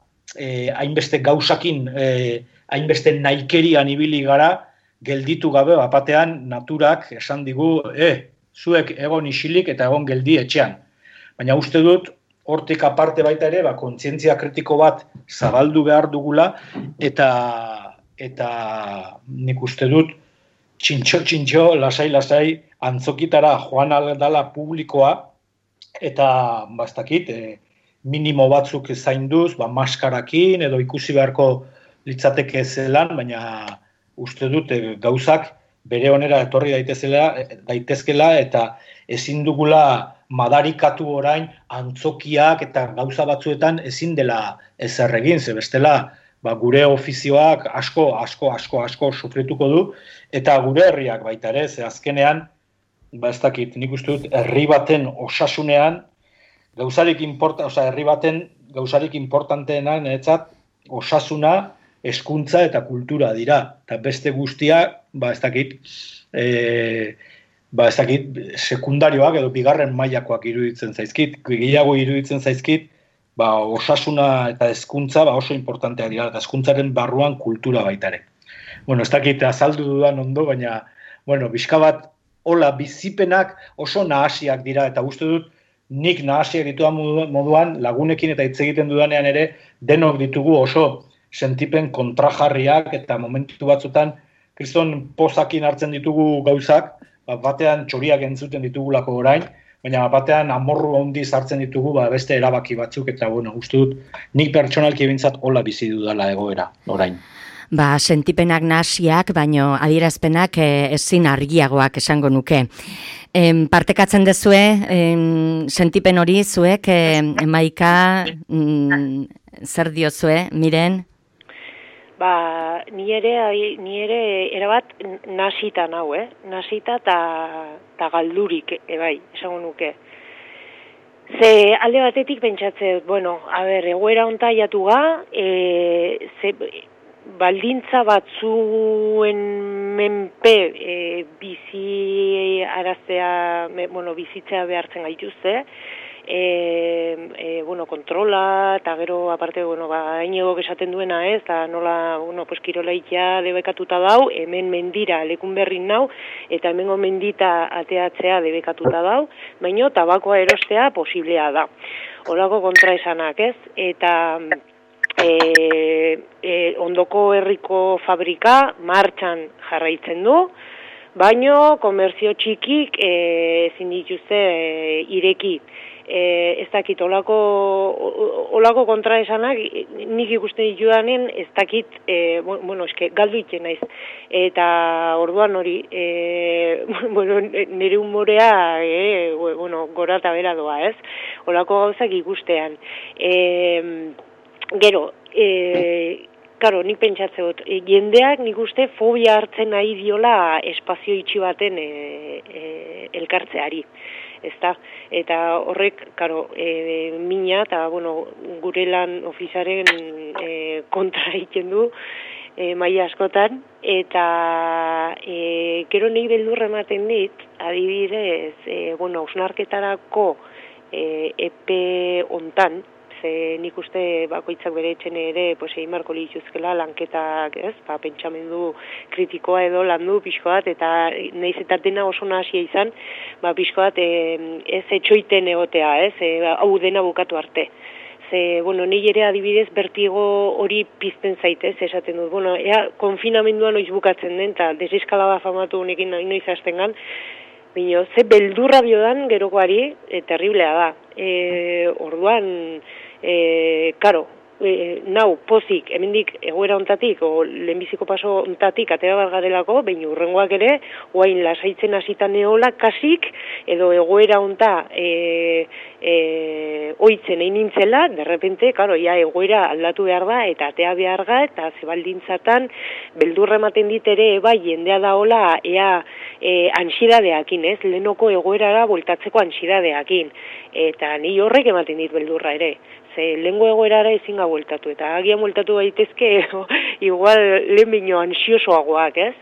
hainbeste gauzakin, hainbeste naikerian ibili gara, gelditu gabe batean naturak esan digu, zuek egon isilik eta egon geldi etxean. Baina uste dut, hortik aparte baita ere, kontzientzia kritiko bat zabaldu behar dugula, eta nik uste dut, txintxo, lasai, antzokitara joan aldala publikoa, eta bastakit, minimo batzuk zainduz, maskarakin, edo ikusi beharko litzateke zelan, baina uste dut gauzak bere onera etorri daitezkela, eta ezin dugula madarikatu orain antzokiak eta gauza batzuetan ezin dela ezer egin, ze bestela gure ofizioak asko sufrituko du, eta gure herriak baita ere, ze azkenean, ez dakit, nik uste dut, herri baten osasunean, herri baten gauzarik importanteena, niretzat, osasuna, hezkuntza eta kultura dira. Eta beste guztia, ez dakit, sekundarioak edo bigarren mailakoak iruditzen zaizkit, gehiago iruditzen zaizkit, osasuna eta hezkuntza oso importanteak dira, eta hezkuntzaren barruan kultura baita ere. Bueno, ez dakit azaldu dudan ondo, baina, bizka bat, hola, bizipenak oso nahasiak dira, eta uste dut, nik nahasiak ditudan moduan, lagunekin eta hitz egiten dudanean ere, denok ditugu oso sentipen kontrajarriak, eta momentu batzutan, kriston pozakin hartzen ditugu gauzak, batean txoriak entzuten ditugulako orain, baina batean amorru handiz hartzen ditugu beste erabaki batzuk, eta uste dut, nik pertsonalki bintzat hola bizi dudala egoera orain. Sentipenak nahasiak, baino adierazpenak ezin argiagoak esango nuke. Partekatzen dezue, sentipen hori zuek, Maika, zer diozue, Miren? Ni ere erabat nasita nau, nasita eta galdurik, esango nuke. Ze alde batetik pentsatzen, egoera honta jatu ga, baldintza batzuen menpe bizitzea behartzen gaituzte, kontrola, eta gero, aparte, hainegok esaten duena ez, eta nola, kirolaikia debekatuta dau, hemen mendira lekun berrin nau, eta hemengo mendita ateatzea debekatuta dau, baino tabakoa erostea posiblea da. Holako kontraesanak ez, eta ondoko herriko fabrika martxan jarraitzen du, Baino, komerzio txikik ezin dituzte ireki. Ez dakit, olako kontraesanak nik ikusten ditudanen ez dakit, galdu iten naiz. Eta orduan hori, nire humorea, gora eta bera doa, ez? Olako gauzak ikustean. Gero, karo, nik pentsatze dut, jendeak nik uste fobia hartzen nahi diola espazio itxi baten elkartzeari. Ezta? Eta horrek, karo, mina eta, gure lan ofizaren kontra egiten du maila askotan, eta gero nahi beldurra ematen dit, adibidez, hausnarketarako epe hontan, ze nik uste bakoitzak bere etxen ere egin marko lituzkela lanketak, ez? Pentsamendu kritikoa edo landu pixko bat, eta nahiz eta dena oso nahasia izan, pixko bat ez etxoiten egotea, ez? Hau dena bukatu arte. Ze, nahi ere adibidez bertigo hori pizten zaitez, esaten dut. Ea konfinamendua noiz bukatzen den, eta deseskalada famatu honekin noiz hasten gan, bino, ze beldurra biodan gerokoari, terriblea da. Orduan, karo, nau, pozik, hemendik egoera ontatik, o lehenbiziko paso ontatik, atera bargarelako, baina urrengoak ere, oain lasaitzen hasita neola, kasik, edo egoera onta oitzen egin nintzela, derrepente, karo, egoera aldatu behar da, eta atea behar da, eta zebaldintzatan, beldurra ematen dit ere, jendea daola, ansidadeakin, ez? Lehenoko egoerara voltatzeko ansidadeakin. Eta ni horrek ematen dit beldurra ere. Ze lehengo egoerara ezin bueltatu, eta agian bueltatu gaitezke igual lehen bino ansiosoagoak, ez?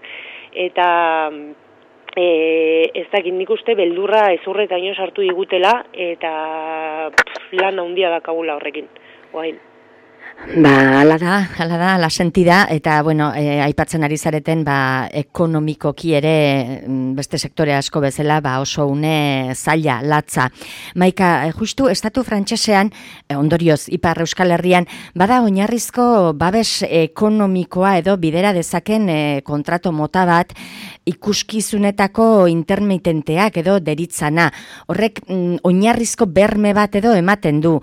Eta ez dakit nik uste beldurra ezurretaino sartu digutela, eta lan handia dakagula horrekin, oain. Hala da, la sentida, eta, aipatzen ari zareten, ekonomikoki ere, beste sektore asko bezala, oso une zaila, latza. Maika, justu, estatu frantsesean, ondorioz, Ipar Euskal Herrian, bada oinarrizko babes ekonomikoa edo bidera dezaken kontrato mota bat, ikuskizunetako intermitenteak edo deritzana. Horrek, oinarrizko berme bat edo ematen du.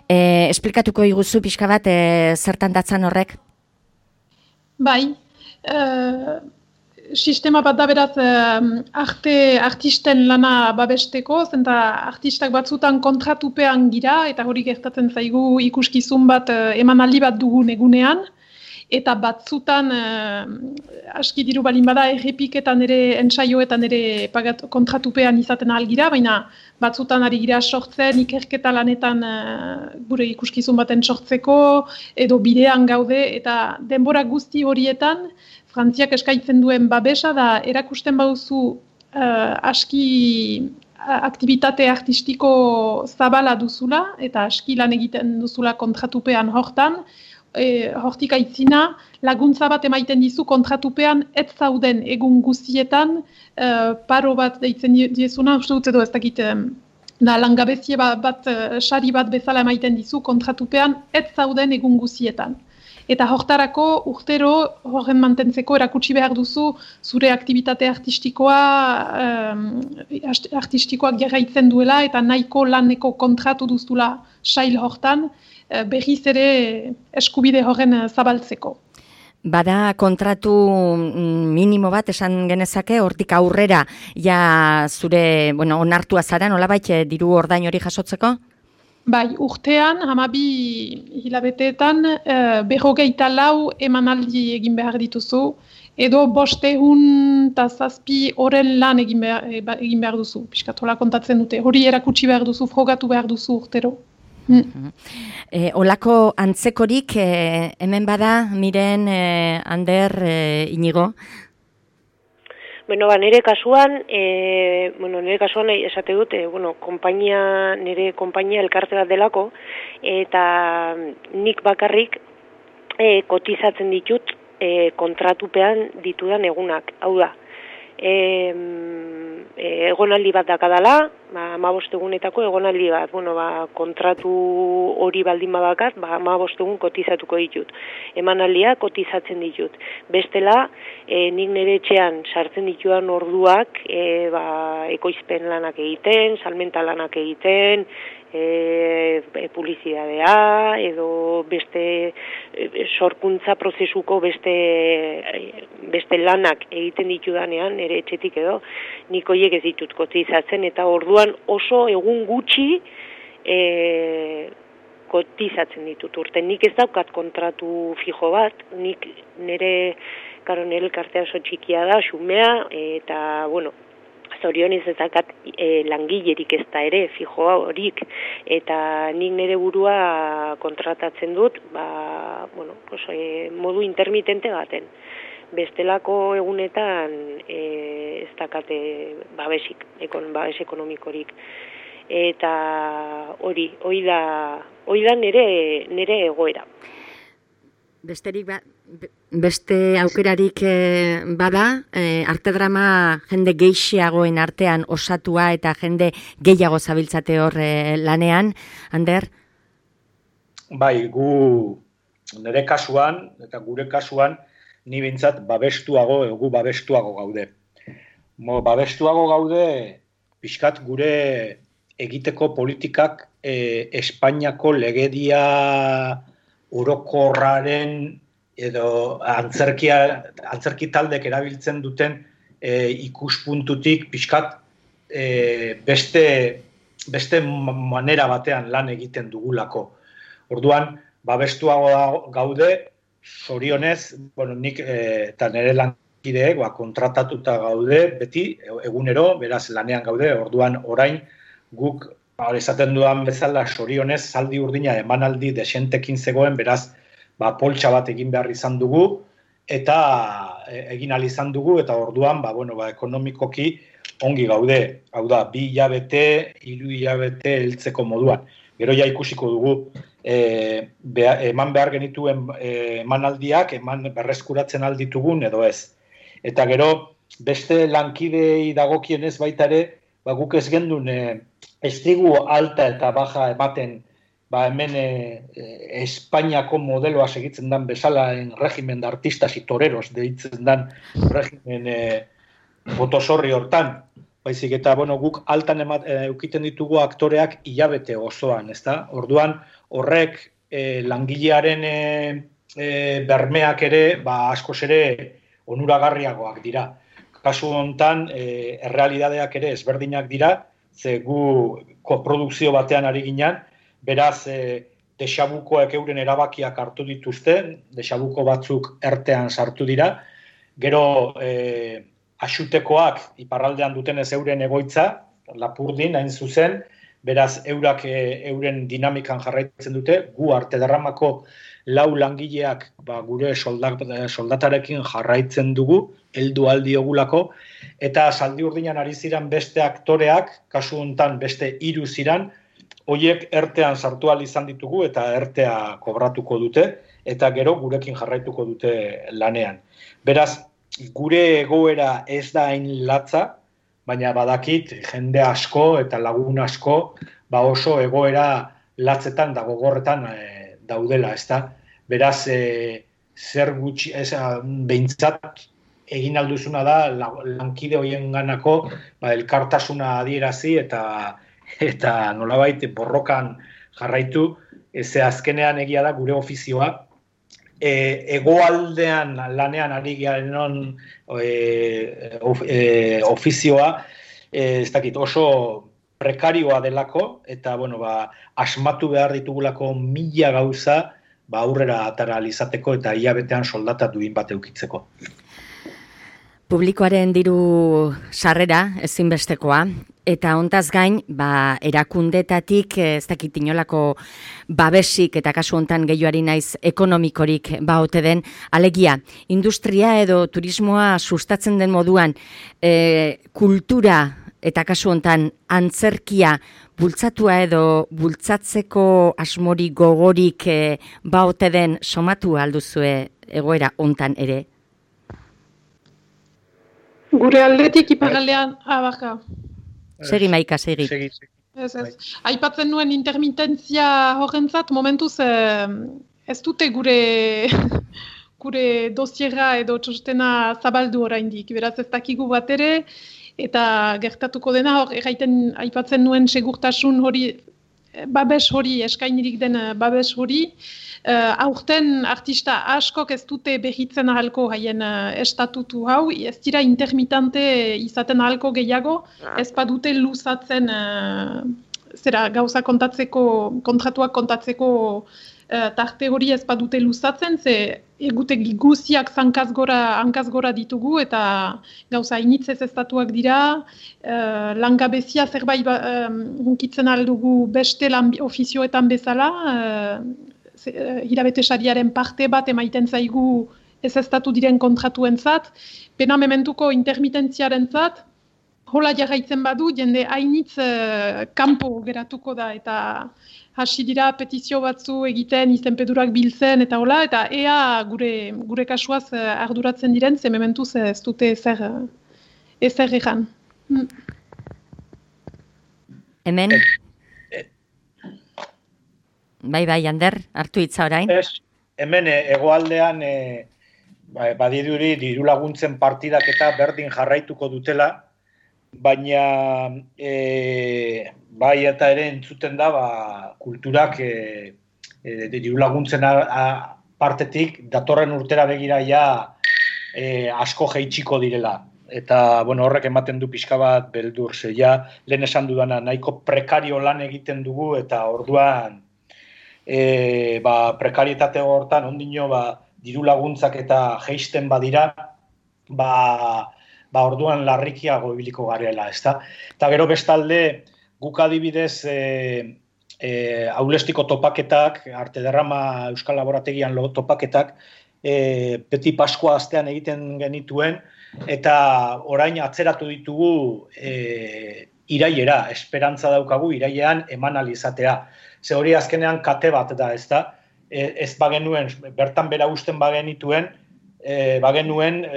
Esplikatuko iguzu pixka bat, zertan datzan horrek? Bai, sistema bat da beraz artisten lana babesteko, zenta artistak batzutan kontratupean gira, eta hori gertatzen zaigu ikuskizun bat emanaldi bat dugun egunean, eta batzutan aski diru balin bada errepiketan ere, entsaioetan ere kontratupean izaten algira, baina batzutan ari gira sortzen, ikerketa lanetan gure ikuskizun baten sortzeko, edo bidean gaude, eta denbora guzti horietan, Frantziak eskaintzen duen babesa da erakusten baduzu aski aktibitate artistiko zabala duzula, eta aski lan egiten duzula kontratupean hortan, hortik aitzina, laguntza bat emaiten dizu kontratupean ez zauden egun guztietan, paro bat deitzen diezuna, uste dut edo ez dakit, da langabezie bat, sari bat bezala emaiten dizu kontratupean ez zauden egun guztietan. Eta hortarako urtero horren mantentzeko erakutsi behar duzu zure aktibitate artistikoak jarraitzen duela eta nahiko laneko kontratu duzula sail hortan, berriz ere eskubide horren zabaltzeko. Bada kontratu minimo bat esan genezake, hortik aurrera ja zure, onartua zara, nolabait diru ordain hori jasotzeko? Bai, urtean, 12 hilabeteetan, 54 emanaldi egin behar dituzu, edo 507 horren lan egin behar duzu, piskatola kontatzen dute. Hori erakutsi behar duzu, frogatu behar duzu urtero. Olako antzekorik hemen bada, Miren, Ander, Inigo? Nire kasuan, esate dut, nire konpainia elkarte bat delako, eta nik bakarrik kotizatzen ditut kontratupean ditudan egunak. Hau da, egonaldi bat dakadala, 15 egunetako egonaldi bat, kontratu hori baldin badakat, 15 egun kotizatuko ditut. Emanaldia kotizatzen ditut. Bestela, nik nire etxean sartzen ditudan orduak, ekoizpen lanak egiten, salmenta lanak egiten, publizidadea, edo beste sorkuntza prozesuko beste lanak egiten ditudanean, nire etxetik edo, nik horiek ez ditut kotizatzen, eta orduan oso egun gutxi kotizatzen ditut urten. Nik ez daukat kontratu fijo bat, nik nire elkartea oso txikia da, xumea, eta, zorionez ez dakat langilerik ez da ere, fijo horik, eta nik nire burua kontratatzen dut, modu intermitente baten. Bestelako egunetan ez dakate babes ekonomikorik. Eta hori da nire egoera. Beste aukerarik bada, arte drama jende gehiagoen artean osatua eta jende gehiago zabiltzate hor lanean, Ander? Bai, nire kasuan, eta gure kasuan, ni bintzat gu babestuago gaude. Babestuago gaude, pixkat gure egiteko politikak Espainiako legedia orokorraren edo antzerki taldek erabiltzen duten ikuspuntutik pixkat beste manera batean lan egiten dugulako. Orduan, babestuago gaude, zorionez, nik eta nire lankideek kontratatuta gaude, beti egunero, beraz lanean gaude, orduan orain guk esaten dudan bezala zorionez zaldi urdina emanaldi desentekin zegoen, beraz poltsa bat egin behar izan dugu, eta egin ahal izan dugu, eta orduan ekonomikoki ongi gaude. Hau da, 2 hilabete, 3 hilabete heltzeko moduan. Gero ja ikusiko dugu, eman behar genituen emanaldiak, berreskuratzen alditugun edo ez. Eta gero, beste lankidei dagokienez baita ere, guk ez gendun estrigu alta eta baja ematen hemen Espainiako modeloa segitzen dan bezala regimen de artistas y toreros deitzen dan regimen botosorri hortan. Baizik eta guk altan eukiten ditugu aktoreak hilabete osoan, ezta? Orduan horrek langilearen bermeak ere askoz ere onuragarriagoak dira. Kasu hontan errealidadeak ere ezberdinak dira, ze gu koprodukzio batean ari ginen, beraz desabukoek euren erabakiak hartu dituzte, desabuko batzuk ertean sartu dira, gero axutekoak iparraldean dutenez euren egoitza, Lapurdin hain zuzen, beraz eurak euren dinamikan jarraitzen dute, gu arte derramako 4 langileak gure soldatarekin jarraitzen dugu, heldu aldiogulako, eta zaldi urdinan ari ziren beste aktoreak, kasu hontan beste 3 ziren, horiek ertean sartu ahal izan ditugu eta ertea kobratuko dute, eta gero gurekin jarraituko dute lanean. Beraz, gure egoera ez da hain latza, baina badakit jende asko eta lagun asko oso egoera latzetan da gogorretan daudela, ezta? Beraz, zer gutxi, behintzat egin alduzuna da lankide horien ganako elkartasuna adierazi eta nolabait borrokan jarraitu, ze azkenean egia da gure ofizioa, hegoaldean lanean ari garen ofizioa, ez dakit, oso prekarioa delako, eta asmatu behar ditugulako 1000 gauza aurrera atara izateko eta hilabetean soldata duin bat eukitzeko. Publikoaren diru sarrera ezinbestekoa, eta hontaz gain, erakundetatik ez dakit inolako babesik eta kasu hontan gehioari naiz ekonomikorik ote den, alegia, industria edo turismoa sustatzen den moduan, kultura eta kasu hontan antzerkia bultzatua edo bultzatzeko asmori gogorik ote den somatu alduzue egoera hontan ere? Gure aldetik iparraldean, Segi Maika, segi. Ez. Aipatzen nuen intermitentzia horrentzat, momentuz ez dute gure dosiera edo txostena zabaldu oraindik. Beraz ez dakigu bat ere, eta gertatuko dena hor, aipatzen nuen segurtasun hori, babes hori, eskainirik den babes hori, aurten artista askok ez dute behitzen ahalko haien estatutu hau, ez dira intermitante izaten ahalko gehiago, ez badute luzatzen gauza kontratuak kontatzeko tarte hori ez badute luzatzen, ze egutegi guziak hankaz gora ditugu eta gauza initzez estatuak dira, langabezia zerbait hunkitzen aldugu beste ofizioetan bezala, hilabete sariaren parte bat emaiten zaigu ez estatu diren kontratuentzat, pena mementuko intermitentziarentzat, hola jarraitzen badu, jende hainitz kanpo geratuko da, eta hasi dira petizio batzu egiten, izenpedurak biltzen, eta hola, eta ea gure kasuaz arduratzen diren, ze mementuz ez dute ezer egan. Hemen? Bai, Ander, hartu hitza orain. Hemen hegoaldean badirudi diru laguntzen partidak eta berdin jarraituko dutela, baina bai eta ere entzuten da kulturak diru laguntzen partetik datorren urtera begira asko jaitsiko direla. Eta horrek ematen du pixka bat beldur, lehen esan dudana nahiko prekario lan egiten dugu eta orduan prekarietate hortan ondino diru laguntzak eta jeisten badira, orduan larrikiago ibiliko garela, ezta? Eta gero bestalde, guk adibidez Aulestiko topaketak, Arte Derrama Euskal Laborategian topaketak, Peti Paskua astean egiten genituen, eta orain atzeratu ditugu irailera, esperantza daukagu irailean eman alizatea. Ze hori azkenean kate bat da, ezta? Ez bagenuen, bertan bera usten bagenituen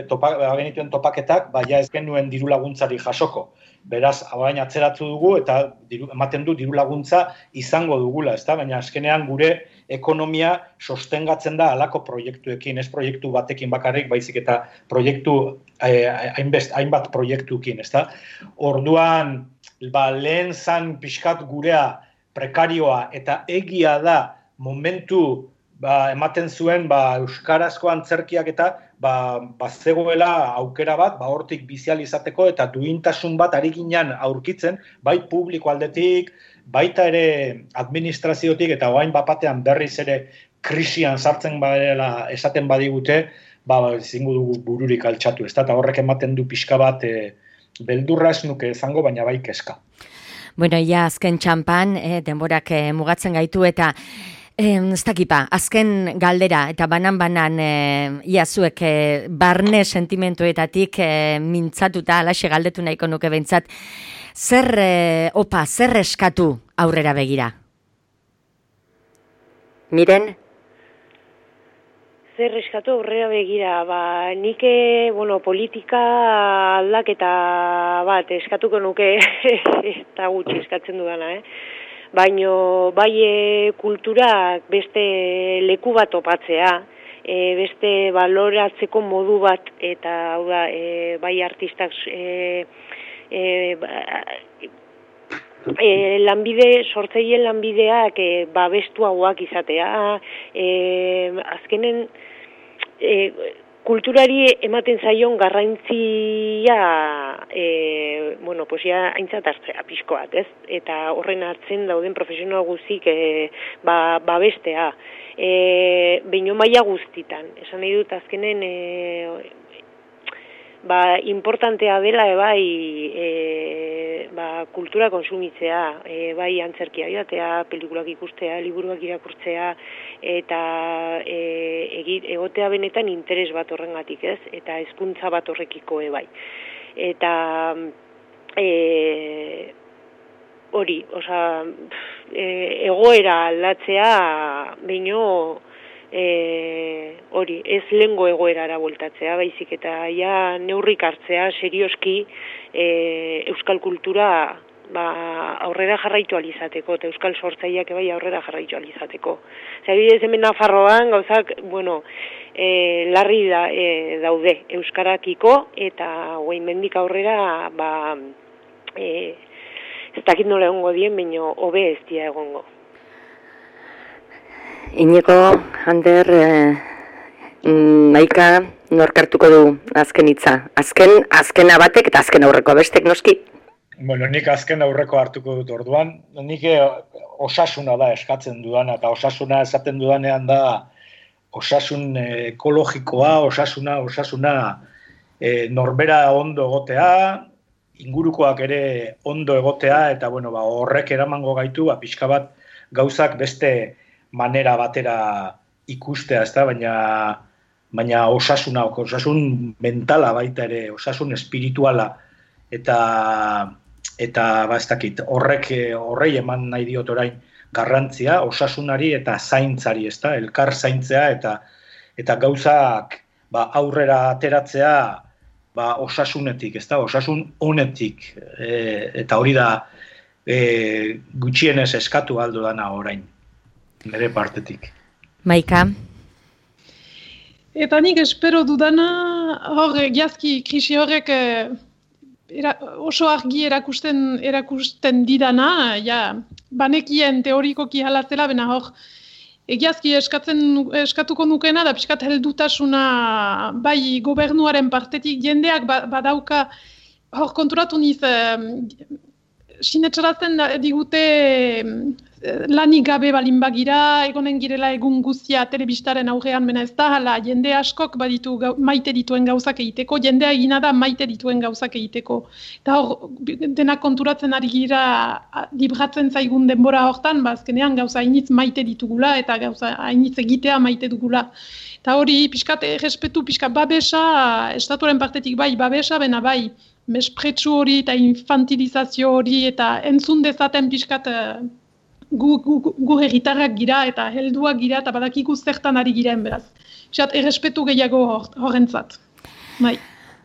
topaketak, ez genuen diru laguntzari jasoko. Beraz, orain atzeratu dugu eta ematen du diru laguntza izango dugula, ezta? Baina azkenean gure ekonomia sostengatzen da halako proiektuekin, ez proiektu batekin bakarrik, baizik eta proiektu hainbat proiektuekin, ezta? Orduan, lehen zan pixkat gurea prekarioa eta egia da momentu ematen zuen euskarazko antzerkiak eta bazegoela aukera bat hortik bizializateko eta duintasun bat ari ginen aurkitzen, bai publiko aldetik, baita ere administraziotik eta orain bapatean berriz ere krisian sartzen badela esaten badigute, ezingo dugu bururik altxatu, ezta? Eta horrek ematen du pixka bat beldurra ez nuke izango, baina bai kezka. Bueno, azken txampan, denborak mugatzen gaitu eta ez dakipa, azken galdera eta banan zuek barne sentimentuetatik mintzatuta, alaxe galdetu nahiko nuke behintzat, zer eskatu aurrera begira? Miren? Zer eskatu aurrera begira, nik politika aldaketa bat eskatuko nuke eta gutxi eskatzen dudana, baino bai kulturak beste leku bat topatzea, beste baloratzeko modu bat, eta hau da, bai artistak sortzaile lanbideak babestuagoak izatea, azkenen kulturari ematen zaion garrantzia aintzat hartzea pixko bat, ez? Eta horren hartzen dauden profesional guztik babestea. Behin maila guztitan. Esan nahi dut azkenen importantea dela kultura konsumitzea, bai antzerkia joatea, pelikulak ikustea, liburuak irakurtzea, eta egotea benetan interes bat horrengatik, ez? Eta hezkuntza bat horrekiko bai. Eta hori, egoera aldatzea baino hori, ez lehengo egoerara bueltatzea, baizik eta neurrik hartzea serioski euskal kultura aurrera jarraitu alizateko, eta euskal sortzaileak bai aurrera jarraitu alizateko. Zabidez hemen Nafarroan gauzak, larri daude euskarakiko, eta mendik aurrera, ez dakit nola egongo dien, baina hobe ez dia egongo. Iñigo, Ander, Maika, norkartuko du azken hitza? Azkena batek eta azken aurreko bestek noski? Nik azken aurreko hartuko dut orduan. Nik osasuna da eskatzen dudana, eta osasuna esaten dudanean da osasun ekologikoa, osasuna norbera ondo egotea, ingurukoak ere ondo egotea, eta horrek eramango gaitu, pixka bat gauzak beste manera batera ikustea, ezta, baina osasun mentala baita ere, osasun espirituala, eta ez dakit, horrei eman nahi diot orain garrantzia, osasunari eta zaintzari, ezta, elkar zaintzea, eta gauzak aurrera ateratzea osasunetik, ezta, osasun honetik, eta hori da gutxienez eskatu aldo dana orain, nire partetik. Maika? Eta nik espero dudana, egiazki krisi horrek oso argi erakusten didana, banekien teorikoki halatzela, bena egiazki eskatuko nukena, da pixkat heldutasuna bai gobernuaren partetik jendeak badauka, konturatu niz, sinetxarazten digute lanik gabe balin bagira, egonen girela egun guztia telebistaren aurrean, mena ez da, hala, jende askok baditu maite dituen gauzak egiteko, jendea egina da maite dituen gauzak egiteko. Eta denak konturatzen ari gira libratzen zaigun denbora hortan, azkenean gauza hainitz maite ditugula, eta gauza hainitz egitea maite dugula. Eta hori, pixkat errespetu, pixkat babesa, estatuaren partetik bai babesa, bena bai, mespretsu hori eta infantilizazio hori, eta entzun dezaten pixkat gu herritarrak gira eta helduak gira eta badakiku zertan ari giren beraz. Pixkat errespetu gehiago horrentzat. Bai.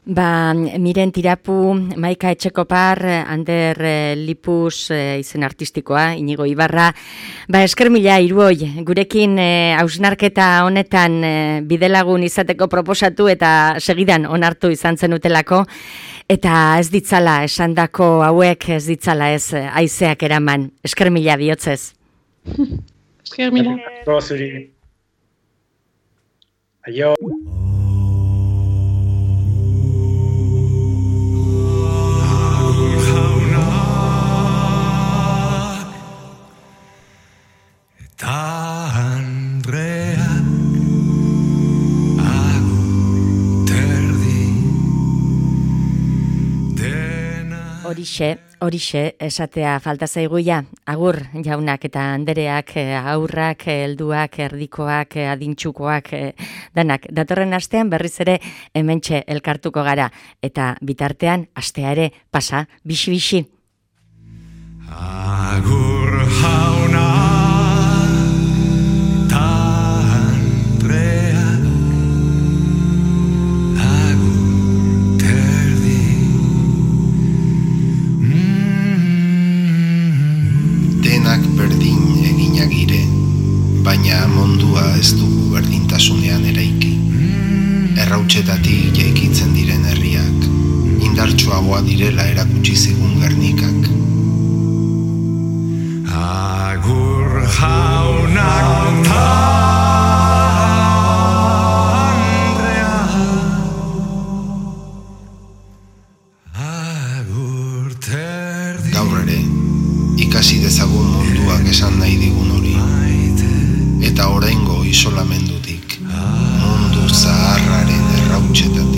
Miren Tirapu, Maika Etxekopar, Ander Lipus izen artistikoa, Iñigo Ibarra. Esker mila Iruoi, gurekin hausnarketa honetan bidelagun izateko proposatu eta segidan onartu izan zenutelako. Eta ez ditzala, esandako hauek ez ditzala ez haizeak eraman. Esker mila bihotzez. Esker mila. Aio. Horixe, esatea falta zaiguia, agur jaunak eta andereak, aurrak, helduak, erdikoak, adintxukoak, danak. Datorren astean berriz ere hementxe elkartuko gara, eta bitartean astea ere pasa, bixi-bixi. Agur jauna ta Andreak, agur terdi. Denak berdin eginak gire, baina mundua ez dugu berdintasunean eraiki. Errautsetatik jaikitzen diren herriak, indartsuagoa direla erakutsi zigun Gernikak. Agur jaunak ta Andrea, agur terdi. Gaur ere, ikasi dezagun munduak esan nahi digun hori, eta oraingo isolamendutik, mundu zaharraren errautsetan